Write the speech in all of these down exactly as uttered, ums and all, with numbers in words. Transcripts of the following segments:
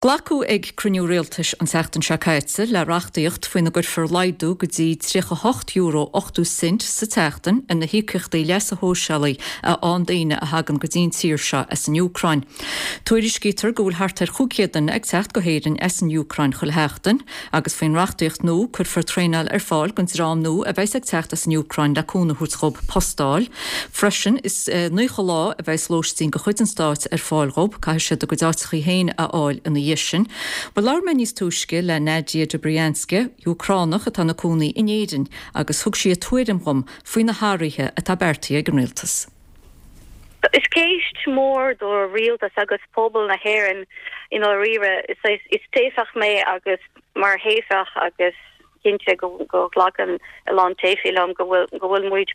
Glacadh ag cruinniú rialtais an tseachtain seo caite le reachtaíocht faoina gcuirfear laghdú go dtí tríocha hocht euro ochtó cent sa tseachtain ar na híocaíochtaí leasa shóisialaigh a fhaigheann daoine a thagann go dtí an tír seo as an Úcráin. Tuairiscítear go bhfuil thart ar chúig chéad duine ag teacht go hÉirinn as an Úcráin chuile sheachtain, agus faoin reachtaíocht nua cuirfear traenáil ar fáil don dream nua a bheas ag teacht as an Úcráin le cúnamh a thabhairt dhóibh post a fháil. Freisin is naocha lá a bheas lóistín de chuid an stáit ar fáil dhóibh, caithfidh siad a gcuid áiteachaí féin a fháil ina dhiaidh sin. Ba labhair mé níos túisce le Nadia Dobrianska, Úcránach atá ina cónaí in Éirinn, agus thug sí a tuairim dhom faoi na hathruithe atá beartaithe ag an rialtas. Is ceist mór do rialtas agus pobal na hÉireann i ndáiríre is, is, is teifeach mé agus mar theifeach agus cinnte go go nglacann a lán teifigh liom go bhfuil go bhfuil muid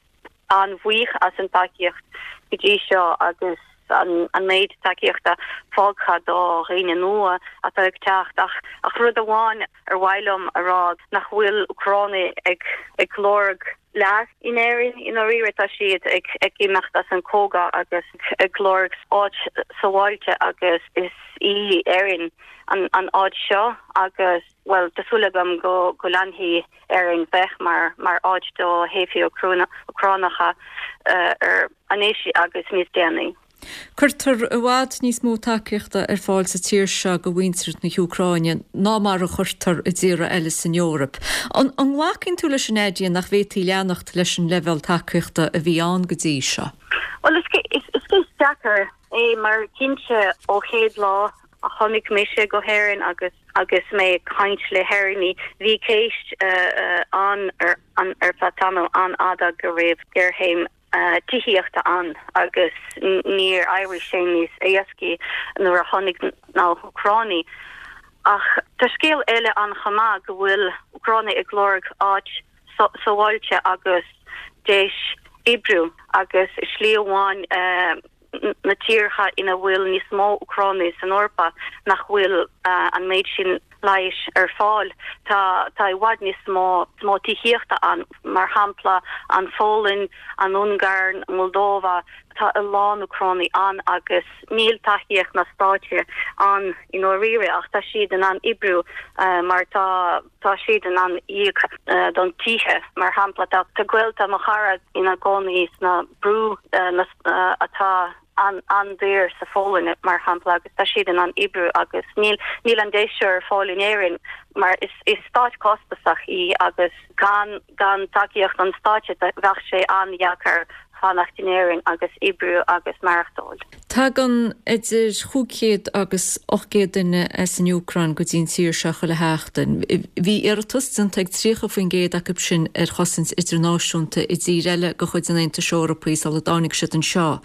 an-bhuíoch as an tacaíocht go dtí seo agus an, an méid tacaíochta fágtha do dhaoine nua atá ag teacht ach ach rud amháin ar mhaith liom a rá nach bhfuil Úcránaigh ag ag lorg leas in Éirinn i ndáiríre tá siad ag ag imeacht as an cogadh agus ag lorg áit sábháilte agus is í Éirinn an, an áit seo agus well tá súil agam go go leanfaidh Éirinn bheith mar mar áit do theifigh Úcránacha uh, ar anois agus níos déanaí. Cuirtear i bhfad níos mó tacaíochta ar fáil sa tír seo go mhuintir na hÚcráine ná mar a chuirtear i dtíortha eile san Eoraip. An nglacann tú leis an idea nach bhféadfaí leanacht leis an leibhéal tacaíochta a bhí ann go dtí seo? Well is is is deacair é mar cinnte ó chéad lá a tháinig mise go hÉirinn agus agus mé caint le hÉireannaigh bhí ceist uh, uh, an ar an ar feadh tamall an-fhada go raibh géarchéim uh, tithíochta ann agus níor éirigh sé níos éasca nuair a tháinig na hÚcránaigh. Ach tá scéal eile ann chomh maith go bhfuil Úcránaigh ag lorg áit sábháilte agus deis oibriú agus slí amháin uh, na tíortha ina bhfuil níos mó Úcránaigh san Eoraip nach bhfuil uh, an méid sin leighis ar fáil tá tá i bhfad níos mó mó tithíochta ann mar shampla an Pholainn an Ungáir Moldova tá a lán Úcránaigh ann agus níl tacaíocht na stáit ann i ndáiríre ach tá siad in ann oibriú uh, mar tá tá siad in ann íoc uh, don tithe mar shampla tá tá gaolta mo chara ina gcónaí sna brú uh, na, uh, atá an an-daor sa Pholainn mar shampla agus tá siad in ann oibriú agus níl níl an deis ar fáil in Éirinn mar is is stát costasach í agus gan gan tacaíocht an stáit bheadh sé an-deacair fanacht in Éirinn agus oibriú agus maireachtáil. Tagann idir chúig chéad agus ocht gcéad duine as an Úcráin go dtí an tír seo chuile sheachtain. Bhí iarratas déanta ag tríocha faoin gcéad acu sin ar chosaint idirnáisiúnta i dtír eile de chuid an Aontais Eorpaigh sula dtáinig siad anseo.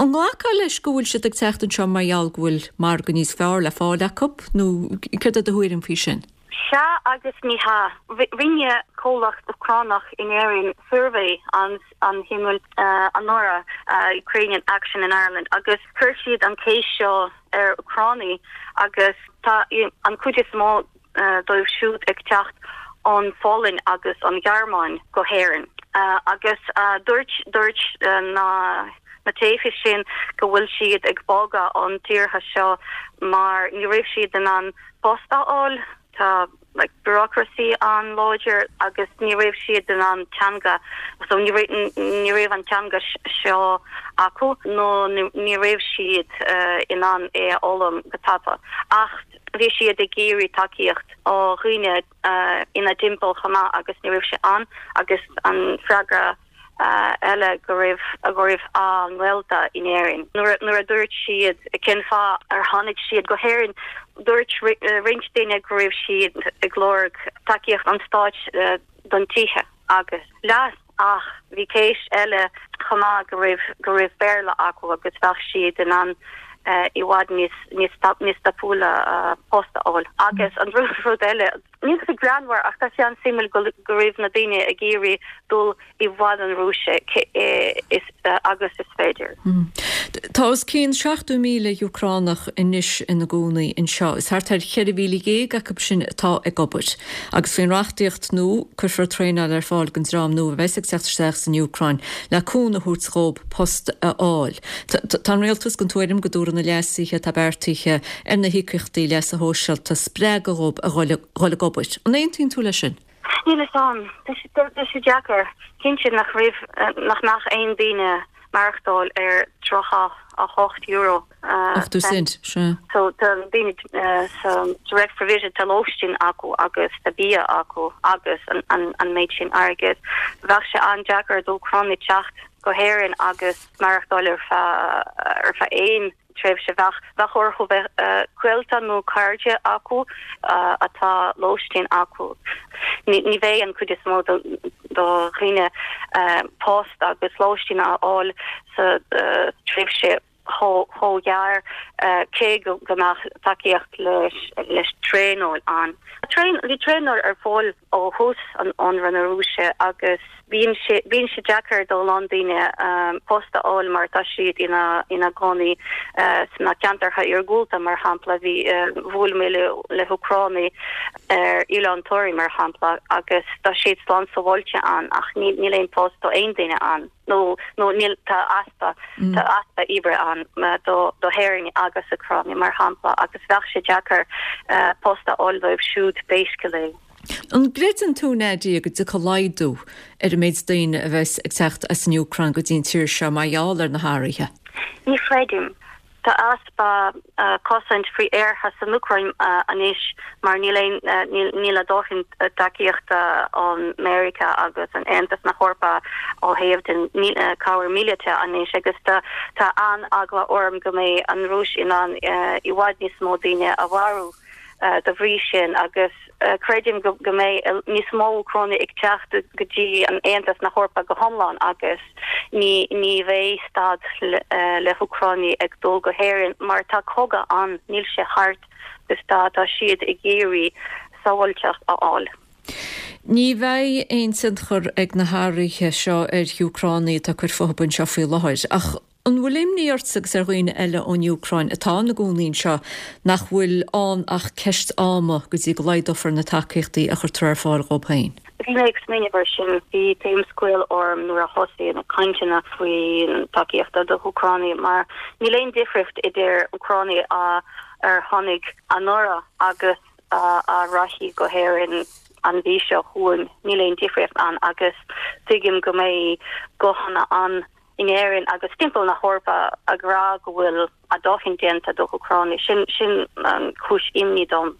An nglacfá leis go bhfuil siad ag teacht anseo mar gheall go bhfuil margadh níos fearr le fáil acu nó céard é do thuairim faoi sin? Sea agus ní hea. Rinne comhlacht Úcránach in Éirinn suirbhé an an himmel uh, anuraidh uh, Ukrainian Action in Ireland agus chuir siad an cheist seo ar Úcránaigh agus tá an chuid is mó uh, dóibh siúd ag teacht ón Pholainn agus an Ghearmáin go hÉirinn. Uh, agus uh, dúirt dúirt uh, na na teifigh sin go bhfuil siad ag bogadh ón tíortha seo mar ní raibh siad in ann post a fháil tá like bureaucracy an-láidir agus ní raibh siad in ann teanga so ní ní raibh an teanga seo acu nó ní raibh siad uh, in ann é a fhoghlaim go tapa ach bhí siad ag iarraidh tacaíocht ó dhaoine uh, ina dtimpeall chomh maith agus ní raibh sé ann agus an freagra uh, eile go raibh a go raibh a ngaolta in Éirinn. Nuair a dúirt siad cén fáth ar tháinig siad go hÉirinn dúirt roinnt daoine go raibh siad ag lorg tacaíocht an stáit uh, don tithe agus leas ach bhí ceist eile chomh maith go raibh go raibh Béarla acu agus bheadh siad in ann uh, i bhfad níos níos níos tapúla uh, post a fháil. Agus an rud eile Níl sé greannmhar ach tá sé an-suimiúil go go raibh na daoine ag iarraidh dul i bhfad an Rúise is agus is féidir. Tá os cionn seachtó míle Úcránach anois ina gcónaí anseo. Is thart ar cheithre mhíle dhéag acu sin atá ag obair. Agus faoin reachtaíocht nua cuirfear traenáil ar fáil don dream nua a bheas ag teacht isteach san Úcráin le cúnamh a thabhairt dóibh post a fháil. Tá an rialtas den tuairim go dtabharfaidh na leasuithe atá beartaithe ar na híocaíochtaí leasa shóisialta spreagadh dóibh a dhul ag obair. An aontaíonn tú leis sin? Níl a fhios agam. Tá sé deacair. Cinnte nach raibh nach mbeadh aon duine maireachtáil ar tríocha a hocht euro. Ochtó cent, sea. So tá daoine sa direct provision tá lóistín acu agus tá bia acu agus an, an, an méid sin airgid. Bheadh sé an-deacair d'Úcránaigh teacht go hÉirinn agus maireachtáil ar feadh ar feadh aon tréimhse bheadh bheadh orthu bheith gaolta nó cairde acu atá lóistín acu. Ní ní bheidh an chuid is mó do dhaoine post agus lóistín a fháil sa tréimhse chomh gearr cé go go mbeadh tacaíocht leis leis traenáil ann. Train bhí traenáil ar fáil ó thús an ionradh na Rúise agus bíonn sé bíonn sé deacair do a lán daoine um, post a fháil mar tá siad ina ina gcónaí uh, sna ceantarcha iargúlta mar shampla bhí uh, bhuail mé le le hÚcránaigh ar Oileán Thoraí mar shampla agus tá siad slán sábháilte ann ach ní níl aon post do aon duine ann nó nó níl tá easpa mm. tá easpa oibre ann do do hÉireannaigh agus Úcránaigh mar shampla agus bheadh sé deacair uh, post a fháil dóibh siúd basically. An gcreideann tú Nadia go dtiocfaidh laghdú ar an méid daoine a bheas ag teacht as an Úcráin go dtí an tír seo mar gheall ar na hathruithe? Ní chreidim. Tá easpa uh, cosaint frith-aertha san Úcráin uh, anois mar níl aon uh, níl a dóthain tacaíochta ón America agus an Aontas na hEorpa ó thaobh den uh, cabhair míleata anois agus tá tá an-eagla orm go mbeidh an Rúis in ann uh, i bhfad níos mó daoine a mharú uh, de bhrí sin agus uh, creidim go, go mbeidh níos mó Úcránaigh ag teacht go dtí an Aontas na hEorpa go hiomlán agus ní ní bheidh stad le, uh, le hÚcránaigh ag dul go hÉirinn mar tá cogadh ann níl sé thart agus tá tá siad ag iarraidh sábháilteacht a fháil. Ní bheidh aon tionchar ag na hathruithe seo ar Úcránaigh atá ag cur fúthu anseo faoi láthair ach an bhfuil imní ort agus ar dhaoine eile ón Úcráin atá ina gcónaí anseo nach bhfuil ann ach ceist ama go dtí go laghdófar na tacaíochtaí a chuirtear ar fáil dóibh féin. Bhí mé ag smaoineamh air sin bhí taom scaoll orm nuair a thosaigh na cainteanna faoi tacaíochta do Úcránaigh mar níl aon difríocht idir Úcránaigh a ar tháinig anuraidh agus a, a rachaidh go hÉirinn an mhí seo chugainn níl aon difríocht ann agus tuigim go mbeidh guthanna ann in Éirinn agus timpeall na hEorpa ag rá go bhfuil a dóthain déanta do Úcránaigh sin sin an chúis imní dom.